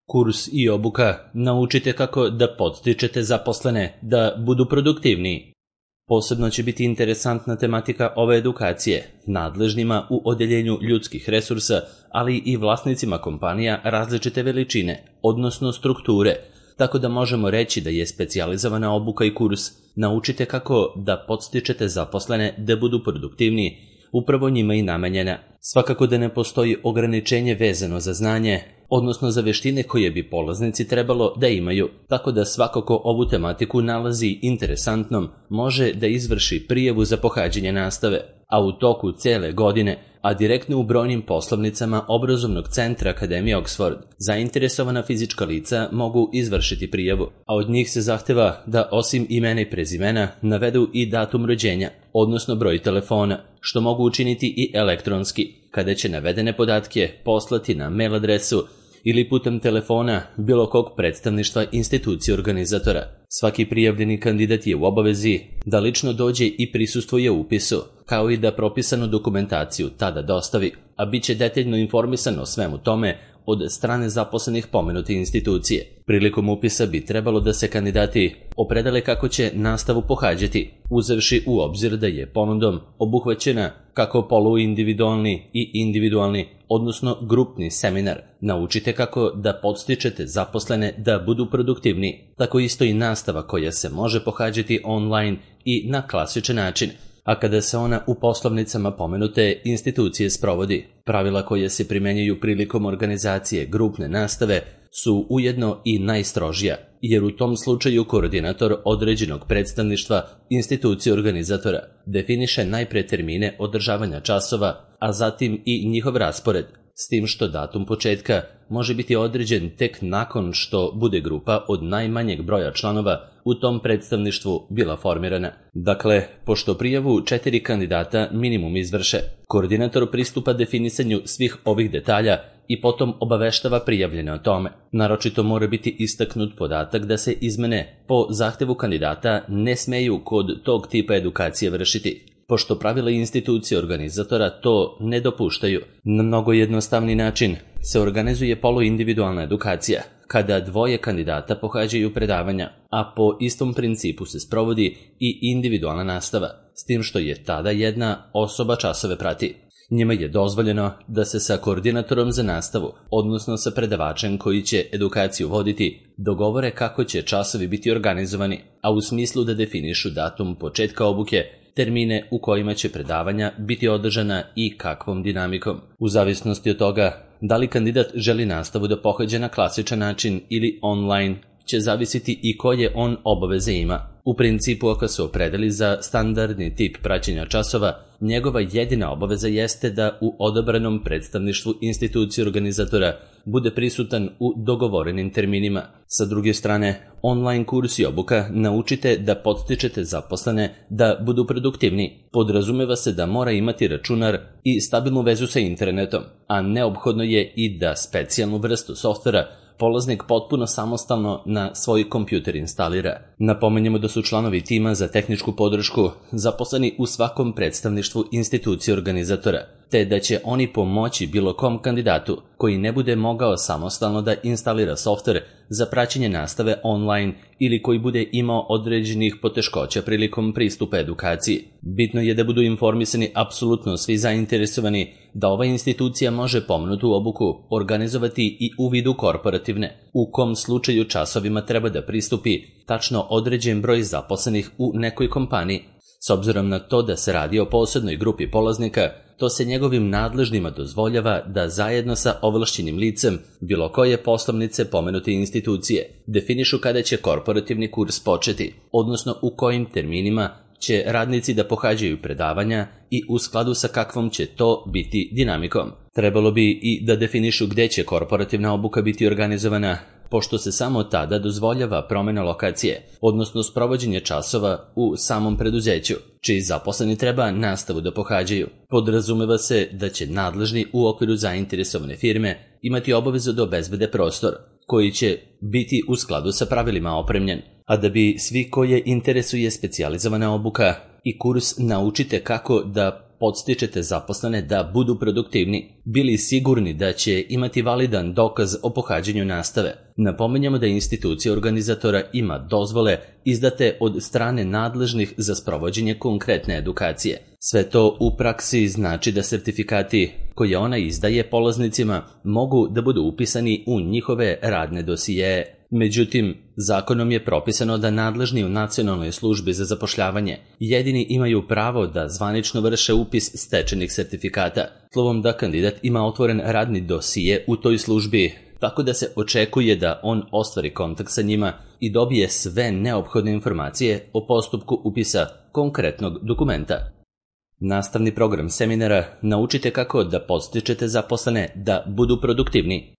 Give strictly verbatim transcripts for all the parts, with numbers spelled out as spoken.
Kurs i obuka naučite kako da podstičete zaposlene da budu produktivniji. Posebno će biti interesantna tematika ove edukacije nadležnima u odeljenju ljudskih resursa, ali i vlasnicima kompanija različite veličine, odnosno strukture, tako da možemo reći da je specijalizovana obuka i kurs naučite kako da podstičete zaposlene da budu produktivniji, upravo njima i namenjena. Svakako da ne postoji ograničenje vezano za znanje, odnosno za veštine koje bi polaznici trebalo da imaju, tako da svako ko ovu tematiku nalazi interesantnom može da izvrši prijavu za pohađanje nastave, a u toku cele godine, a direktno u brojnim poslovnicama obrazovnog centra Akademije Oxford, zainteresovana fizička lica mogu izvršiti prijavu, a od njih se zahteva da osim imena i prezimena navedu i datum rođenja, odnosno broj telefona, što mogu učiniti i elektronski, kada će navedene podatke poslati na mail adresu ili putem telefona bilo kog predstavništva institucije organizatora. Svaki prijavljeni kandidat je u obavezi da lično dođe i prisustvuje upisu, kao i da propisanu dokumentaciju tada dostavi, a bit će detaljno informisan o svemu tome od strane zaposlenih pomenute institucije. Prilikom upisa bi trebalo da se kandidati opredele kako će nastavu pohađati, uzevši u obzir da je ponudom obuhvaćena kako poluindividualni i individualni, odnosno grupni seminar. Naučite kako da podstičete zaposlene da budu produktivni, tako isto i nastava koja se može pohađati online i na klasičan način, a kada se ona u poslovnicama pomenute institucije sprovodi. Pravila koje se primenjuju prilikom organizacije grupne nastave su ujedno i najstrožija, jer u tom slučaju koordinator određenog predstavništva institucije organizatora definiše najpre termine održavanja časova, a zatim i njihov raspored, s tim što datum početka može biti određen tek nakon što bude grupa od najmanjeg broja članova u tom predstavništvu bila formirana. Dakle, pošto prijavu četiri kandidata minimum izvrše, koordinator pristupa definisanju svih ovih detalja i potom obaveštava prijavljene o tome. Naročito mora biti istaknut podatak da se izmene po zahtevu kandidata ne smeju kod tog tipa edukacije vršiti, pošto pravila institucije organizatora to ne dopuštaju. Na mnogo jednostavni način se organizuje poluindividualna edukacija, kada dvoje kandidata pohađaju predavanja, a po istom principu se sprovodi i individualna nastava, s tim što je tada jedna osoba časove prati. Njima je dozvoljeno da se sa koordinatorom za nastavu, odnosno sa predavačem koji će edukaciju voditi, dogovore kako će časovi biti organizovani, a u smislu da definišu datum početka obuke, termine u kojima će predavanja biti održana i kakvom dinamikom. U zavisnosti od toga da li kandidat želi nastavu da pohađa na klasičan način ili online, će zavisiti i koje on obaveze ima. U principu, ako se opredeli za standardni tip praćenja časova, njegova jedina obaveza jeste da u odabranom predstavništvu institucije organizatora bude prisutan u dogovorenim terminima. Sa druge strane, online kurs i obuka naučite da podstičete zaposlene da budu produktivni. Podrazumeva se da mora imati računar i stabilnu vezu sa internetom, a neophodno je i da specijalnu vrstu softvera polaznik potpuno samostalno na svoj kompjuter instalira. Napomenjemo da su članovi tima za tehničku podršku zaposleni u svakom predstavništvu institucije organizatora, te da će oni pomoći bilo kom kandidatu koji ne bude mogao samostalno da instalira softver za praćenje nastave online ili koji bude imao određenih poteškoća prilikom pristupa edukaciji. Bitno je da budu informisani apsolutno svi zainteresovani da ova institucija može pomenutu obuku organizovati i u vidu korporativne, u kom slučaju časovima treba da pristupi tačno određen broj zaposlenih u nekoj kompaniji. S obzirom na to da se radi o posebnoj grupi polaznika, to se njegovim nadležnima dozvoljava da zajedno sa ovlašćenim licem bilo koje poslovnice pomenute institucije definišu kada će korporativni kurs početi, odnosno u kojim terminima će radnici da pohađaju predavanja i u skladu sa kakvom će to biti dinamikom. Trebalo bi i da definišu gde će korporativna obuka biti organizovana, pošto se samo tada dozvoljava promena lokacije, odnosno sprovođenje časova u samom preduzeću, čiji zaposleni treba nastavu da pohađaju. Podrazumeva se da će nadležni u okviru zainteresovane firme imati obavezu da obezbede prostor, koji će biti u skladu sa pravilima opremljen, a da bi svi koje interesuje specijalizovana obuka i kurs naučite kako da podstičete zaposlene da budu produktivni, bili sigurni da će imati validan dokaz o pohađanju nastave. Napominjamo da institucija organizatora ima dozvole izdate od strane nadležnih za sprovođenje konkretne edukacije. Sve to u praksi znači da sertifikati koje ona izdaje polaznicima mogu da budu upisani u njihove radne dosijeje. Međutim, zakonom je propisano da nadležni u Nacionalnoj službi za zapošljavanje jedini imaju pravo da zvanično vrše upis stečenih sertifikata, slovom da kandidat ima otvoren radni dosije u toj službi, tako da se očekuje da on ostvari kontakt sa njima i dobije sve neophodne informacije o postupku upisa konkretnog dokumenta. Nastavni program seminara Naučite kako da podstičete zaposlene da budu produktivni.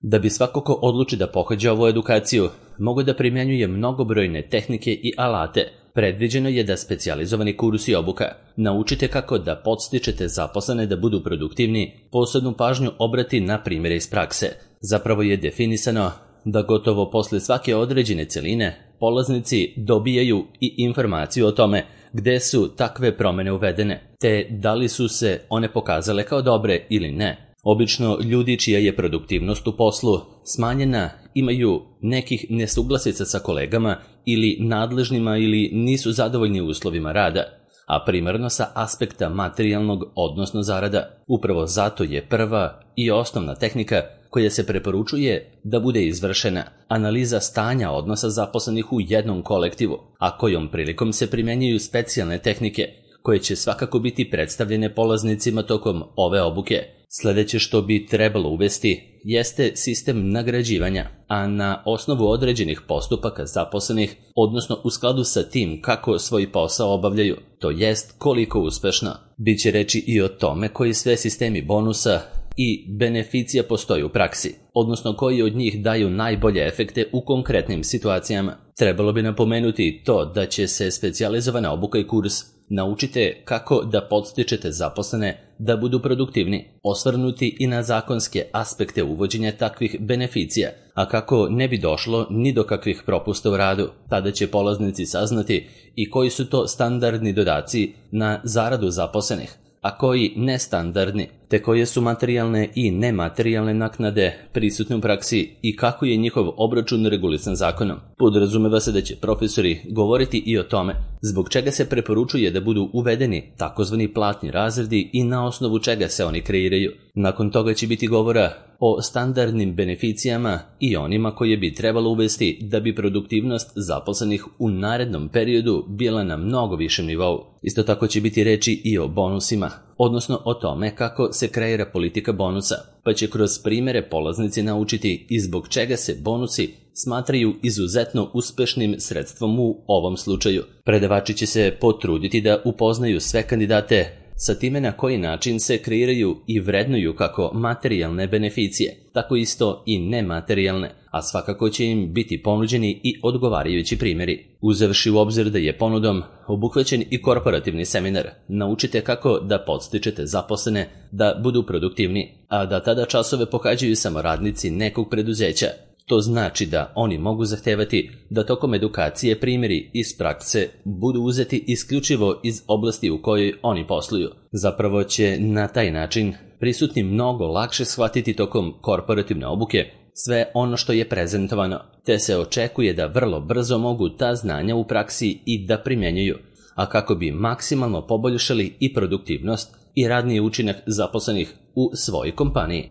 Da bi svako ko odluči da pohađa ovu edukaciju, mogu da primjenjuje mnogobrojne tehnike i alate. Predviđeno je da specijalizovani kurs i obuka Naučite kako da podstičete zaposlene da budu produktivni, posebnu pažnju obrati na primjere iz prakse. Zapravo je definisano da gotovo posle svake određene celine polaznici dobijaju i informaciju o tome gde su takve promene uvedene, te da li su se one pokazale kao dobre ili ne. Obično ljudi čija je produktivnost u poslu smanjena imaju nekih nesuglasica sa kolegama ili nadležnima ili nisu zadovoljni uslovima rada, a primarno sa aspekta materijalnog, odnosno zarada. Upravo zato je prva i osnovna tehnika koja se preporučuje da bude izvršena analiza stanja odnosa zaposlenih u jednom kolektivu, a kojom prilikom se primjenjuju specijalne tehnike koje će svakako biti predstavljene polaznicima tokom ove obuke. Sljedeće što bi trebalo uvesti jeste sistem nagrađivanja, a na osnovu određenih postupaka zaposlenih, odnosno u skladu sa tim kako svoj posao obavljaju, to jest koliko uspešno. Biće reći i o tome koji sve sistemi bonusa i beneficija postoji u praksi, odnosno koji od njih daju najbolje efekte u konkretnim situacijama. Trebalo bi napomenuti to da će se specijalizovana obuka i kurs Naučite kako da podstičete zaposlene da budu produktivni, osvrnuti i na zakonske aspekte uvođenja takvih beneficija, a kako ne bi došlo ni do kakvih propusta u radu. Tada će polaznici saznati i koji su to standardni dodaci na zaradu zaposlenih, a koji nestandardni, te koje su materijalne i nematerijalne naknade prisutne u praksi i kako je njihov obračun regulisan zakonom. Podrazumeva se da će profesori govoriti i o tome zbog čega se preporučuje da budu uvedeni takozvani platni razredi i na osnovu čega se oni kreiraju. Nakon toga će biti govora o standardnim beneficijama i onima koje bi trebalo uvesti da bi produktivnost zaposlenih u narednom periodu bila na mnogo višem nivou. Isto tako će biti reči i o bonusima, odnosno o tome kako se kreira politika bonusa, pa će kroz primjere polaznici naučiti i zbog čega se bonusi smatraju izuzetno uspešnim sredstvom u ovom slučaju. Predavači će se potruditi da upoznaju sve kandidate sa time na koji način se kreiraju i vrednuju kako materijalne beneficije, tako isto i nematerijalne, a svakako će im biti ponuđeni i odgovarajući primjeri. Uzevši u obzir da je ponudom obuhvaćen i korporativni seminar Naučite kako da podstičete zaposlene da budu produktivni, a da tada časove pohađaju samo radnici nekog preduzeća. To znači da oni mogu zahtevati da tokom edukacije primjeri iz prakse budu uzeti isključivo iz oblasti u kojoj oni posluju. Zapravo će na taj način prisutni mnogo lakše shvatiti tokom korporativne obuke sve ono što je prezentovano, te se očekuje da vrlo brzo mogu ta znanja u praksi i da primjenjuju, a kako bi maksimalno poboljšali i produktivnost i radni učinak zaposlenih u svojoj kompaniji.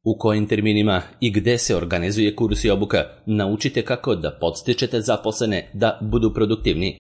U kojim terminima i gde se organizuje kurs i obuka Naučite kako da podstičete zaposlene da budu produktivni.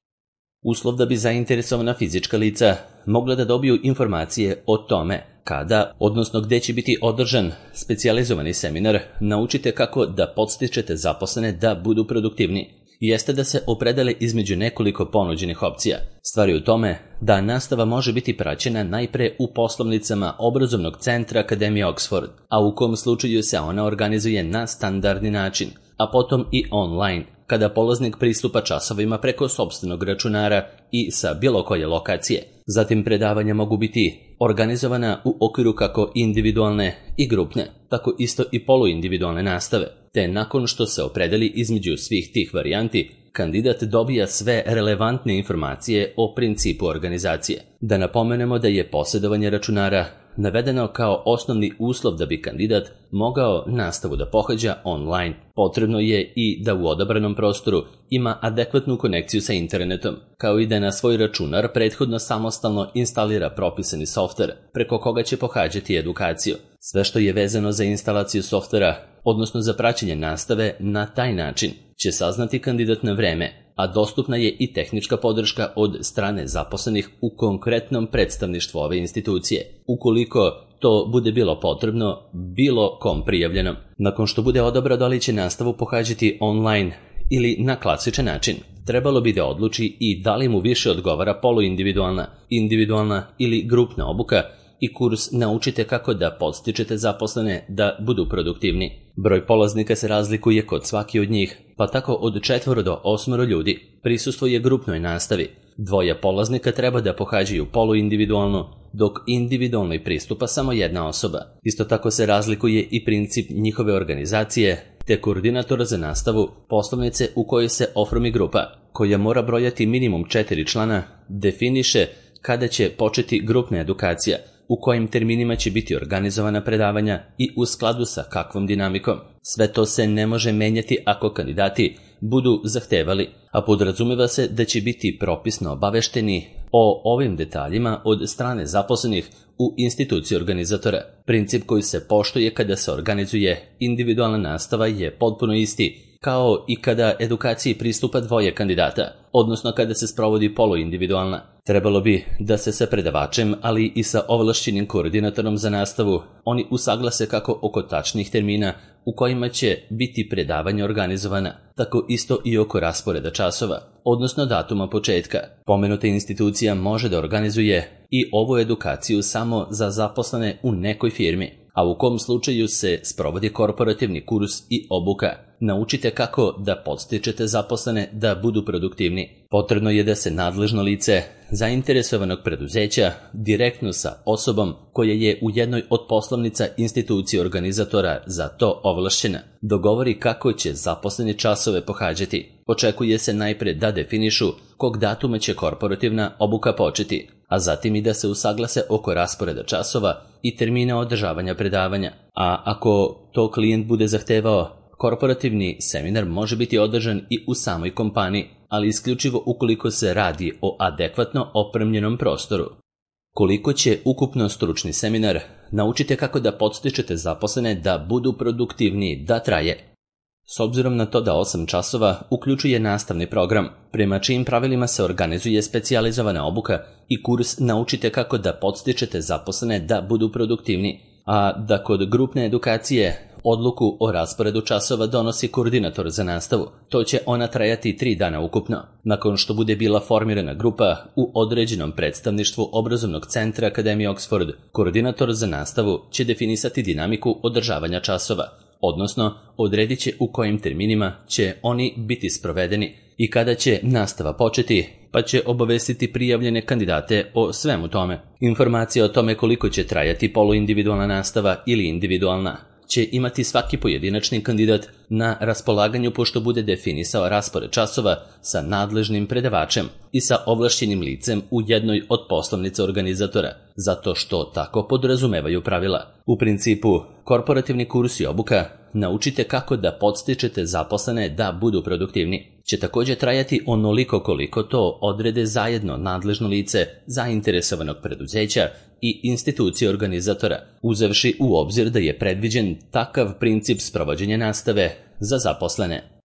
Uslov da bi zainteresovana fizička lica mogla da dobiju informacije o tome kada, odnosno gde će biti održan specijalizovani seminar Naučite kako da podstičete zaposlene da budu produktivni, jeste da se opredele između nekoliko ponuđenih opcija. Stvar je u tome da nastava može biti praćena najpre u poslovnicama obrazovnog centra Akademije Oxford, a u kom slučaju se ona organizuje na standardni način, a potom i online, kada polaznik pristupa časovima preko sopstvenog računara i sa bilo koje lokacije. Zatim predavanja mogu biti organizovana u okviru kako individualne i grupne, tako isto i poluindividualne nastave, te nakon što se opredeli između svih tih varijanti, kandidat dobija sve relevantne informacije o principu organizacije. Da napomenemo da je posjedovanje računara navedeno kao osnovni uslov da bi kandidat mogao nastavu da pohađa online. Potrebno je i da u odabranom prostoru ima adekvatnu konekciju sa internetom, kao i da na svoj računar prethodno samostalno instalira propisani softver preko koga će pohađati edukaciju. Sve što je vezano za instalaciju softvera, odnosno za praćenje nastave na taj način, će saznati kandidat na vreme, a dostupna je i tehnička podrška od strane zaposlenih u konkretnom predstavništvu ove institucije, ukoliko to bude bilo potrebno bilo kom prijavljenom. Nakon što bude odabrao da li će nastavu pohađati online ili na klasičan način, trebalo bi da odluči i da li mu više odgovara poluindividualna, individualna ili grupna obuka i kurs Naučite kako da podstičete zaposlene da budu produktivni. Broj polaznika se razlikuje kod svaki od njih, pa tako od četvoro do osmoro ljudi prisustvuje grupnoj nastavi. Dvoje polaznika treba da pohađaju poluindividualno, dok individualnoj pristupa samo jedna osoba. Isto tako se razlikuje i princip njihove organizacije, te koordinator za nastavu poslovnice u kojoj se oformi grupa, koja mora brojati minimum četiri člana, definiše kada će početi grupna edukacija, u kojim terminima će biti organizovana predavanja i u skladu sa kakvom dinamikom. Sve to se ne može menjati ako kandidati budu zahtevali, a podrazumeva se da će biti propisno obavešteni o ovim detaljima od strane zaposlenih u instituciji organizatora. Princip koji se poštuje kada se organizuje individualna nastava je potpuno isti kao i kada edukaciji pristupa dvoje kandidata, odnosno kada se sprovodi poluindividualna. Trebalo bi da se sa predavačem, ali i sa ovlašćenim koordinatorom za nastavu oni usaglase kako oko tačnih termina u kojima će biti predavanja organizovana, tako isto i oko rasporeda časova, odnosno datuma početka. Pomenuta institucija može da organizuje i ovu edukaciju samo za zaposlene u nekoj firmi, a u kom slučaju se sprovodi korporativni kurs i obuka. Naučite kako da podstičete zaposlene da budu produktivni. Potrebno je da se nadležno lice zainteresovanog preduzeća direktno sa osobom koja je u jednoj od poslovnica institucije organizatora za to ovlašćena dogovori kako će zaposleni časove pohađati. Očekuje se najpre da definišu kog datuma će korporativna obuka početi, a zatim i da se usaglase oko rasporeda časova i termina održavanja predavanja. A ako to klijent bude zahtevao, korporativni seminar može biti održan i u samoj kompaniji, ali isključivo ukoliko se radi o adekvatno opremljenom prostoru. Koliko će ukupno stručni seminar Naučite kako da podstičete zaposlene da budu produktivniji da traje? S obzirom na to da osam časova uključuje nastavni program, prema čijim pravilima se organizuje specijalizovana obuka i kurs Naučite kako da podstičete zaposlene da budu produktivni, a da kod grupne edukacije odluku o rasporedu časova donosi koordinator za nastavu. To će ona trajati tri dana ukupno. Nakon što bude bila formirana grupa u određenom predstavništvu obrazovnog centra Akademije Oxford, koordinator za nastavu će definisati dinamiku održavanja časova, odnosno odredit će u kojim terminima će oni biti sprovedeni i kada će nastava početi, pa će obavestiti prijavljene kandidate o svemu tome. Informacije o tome koliko će trajati poluindividualna nastava ili individualna će imati svaki pojedinačni kandidat na raspolaganju pošto bude definisao raspored časova sa nadležnim predavačem i sa ovlašćenim licem u jednoj od poslovnica organizatora, zato što tako podrazumevaju pravila. U principu, korporativni kurs i obuka Naučite kako da podstičete zaposlene da budu produktivni će također trajati onoliko koliko to odrede zajedno nadležno lice zainteresovanog preduzeća i institucije organizatora, uzevši u obzir da je predviđen takav princip sprovođenja nastave za zaposlene.